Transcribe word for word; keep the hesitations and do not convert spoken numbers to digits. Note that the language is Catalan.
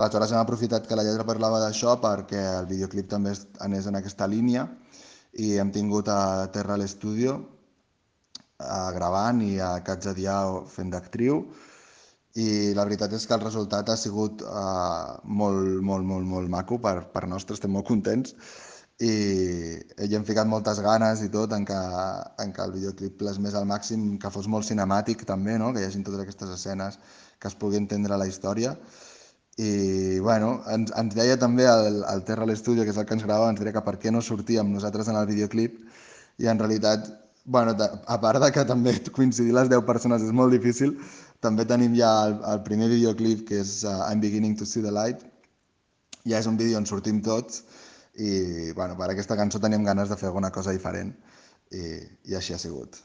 Aleshores hem aprofitat que la lletra parlava d'això perquè el videoclip també anés en aquesta línia i hem tingut a Terra l'Estudio gravant i a Katja Diao fent d'actriu i la veritat és que el resultat ha sigut uh, molt, molt, molt, molt maco per, per nostre, estem molt contents i hi hem ficat moltes ganes i tot en que, en que el videoclip plasmés al màxim, que fos molt cinemàtic també, no? Que hi hagin totes aquestes escenes que es pugui entendre la història i bueno, ens, ens deia també el, el Terra a l'Estudio, que és el que ens gravava, ens deia que per què no sortíem nosaltres en el videoclip i en realitat, bueno, a part de que també coincidir les deu persones és molt difícil, també tenim ja el, el primer videoclip que és uh, I'm Beginning to See the Light, ja és un vídeo on sortim tots i bueno, per aquesta cançó teníem ganes de fer alguna cosa diferent i, i així ha sigut.